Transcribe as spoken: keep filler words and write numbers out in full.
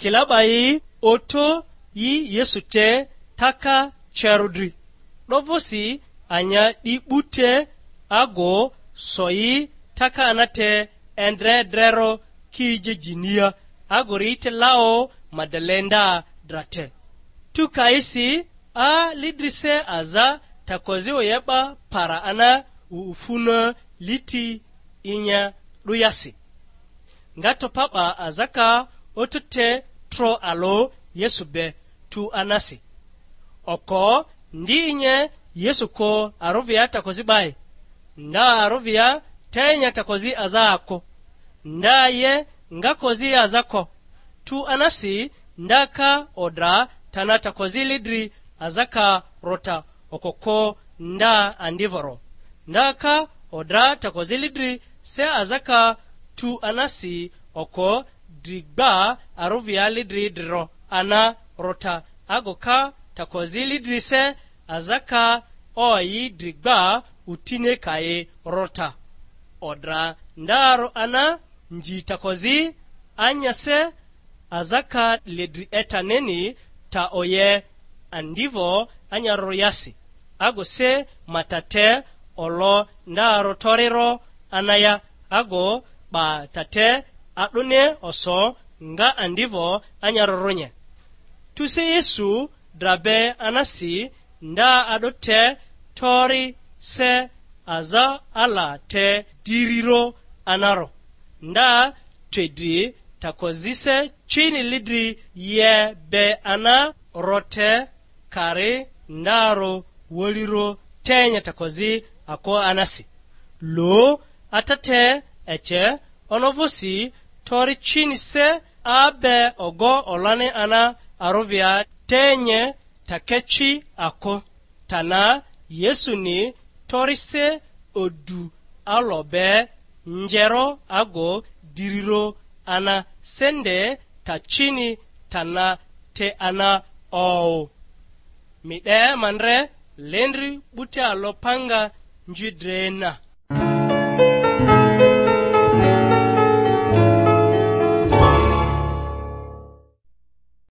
Kila 'ba yi oto yi Yesu te taka cerᴜ dri. 'Dovᴜsi anya 'di 'bu te ago so yi taka ana te, endre drero ki je jinia, ago ri te lao Madalenda dra te. Tu kaisi a lidrise aza takozi oye 'ba para ana ufuna liti inya 'duyasi. Nga topa 'ba azaka otute tro alᴜ Yesu be tu anasi. Oko ndi inye Yesu ko arᴜvia takozi 'bae. Nda arᴜvia te nya takozi aza ako. Nda ye nga kozi aza ko. Tu anasi nda ka odra tana takozi lidri azaka rota okoko nda andivoro. Nda ka odra takozi lidri se azaka tu anasi oko dri gba aruvia lidri dri ro ana rota, ago ka takozi lidri se azaka oyi dri gba utine kayi rota. Odra ndaro ana nji takozi anya se azaka ledri etaneni ta oye andivo anyaroro yasi, ago se ma tate olo nda rotoriro anaya, ago 'ba tate a'dᴜni oso nga andivo anyarorunye. Tuse Yesu dra be anasi nda a'dᴜ te tori se aza ala te diriro anaro, nda twe dri takozise cini lidri ye be ana rote kari ndarᴜ woliro tenya takozi ako anasi. Lo ata te ece ono vᴜsi tori cini se abe ogo olani ana aruvia tenye takeci ako. Tana Yesuni torise odu alo be njero ago diriro ana sende tacini tana te ana ou. Mi 'de ma ndre lendri 'buti alo panga nji dre na.